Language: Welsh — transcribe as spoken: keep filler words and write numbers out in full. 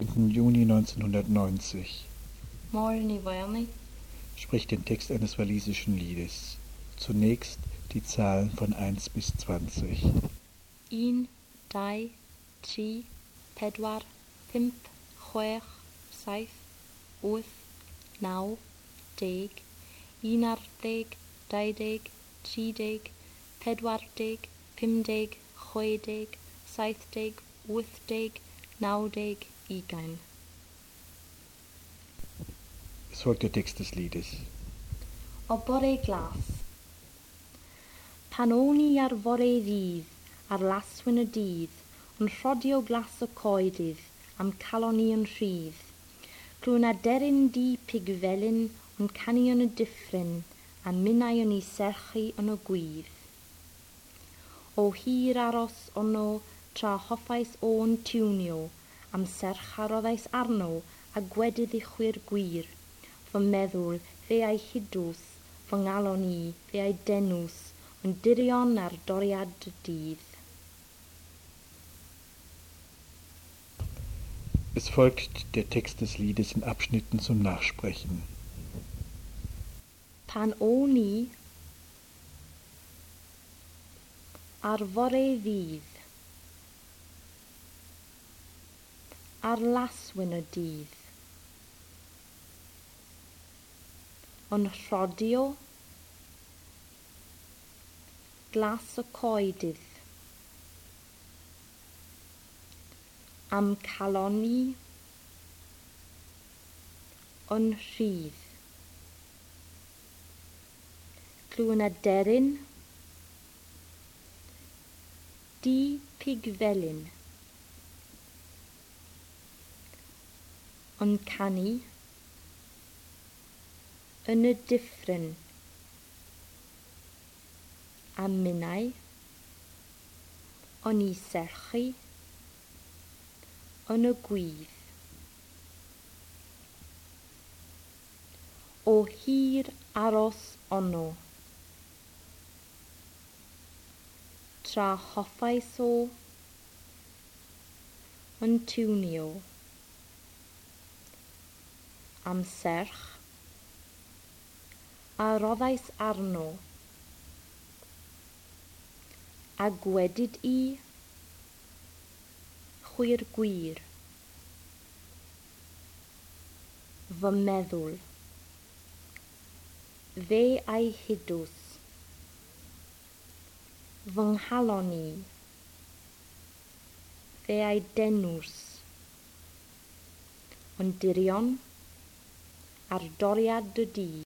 Juni neunzehnhundertneunzig. Máire Ní Mhaonaigh. Spricht den Text eines walisischen Liedes. Zunächst die Zahlen von eins bis zwanzig. Un, dau, tri, pedwar, pump, chwech, saith, wyth, naw, deg, un ar ddeg, dau deg, tri deg, pedwar deg, pum deg, chwe deg, saith deg, wyth deg, naw deg, ugain. Es folgt der Text des Liedes. O bore glas. Pan o'n i ar fore ddydd, ar laswyn y dydd, yn rhodio glas y coedydd, am calon i yn rhydd. Clwn aderyn du pigfelyn, yn canu yn y dyffryn, a minnau yn ei serchu yn y gwydd. O hir aros ono, tra hoffais o'n tiwnio, am serch a roddais arno, a gwedydd i chwi'r gwir. Fy meddwl, fe a'i hudws, fy ngalon i, fe a'i denws, yn dirion ar doriad y dydd. Es folgt der Text des Liedes in Abschnitten zum Nachsprechen. Pan o'n i ar fore ddydd, ar laswyn y dydd, yn rhodio glas y coedydd, am calon i yn rhydd. Clwn aderyn du pigfelyn, yn canu yn y dyffryn, a minnau o'n i serchu yn y gwydd. O hir aros ono, tra hoffais o yn tiwnio, am serch a roddais arno, a gwedid i chwi'r gwir. Fy meddwl, fe a'i hudws, fy nghalon i, fe a'i denws, ond dirion ar doriad y dydd.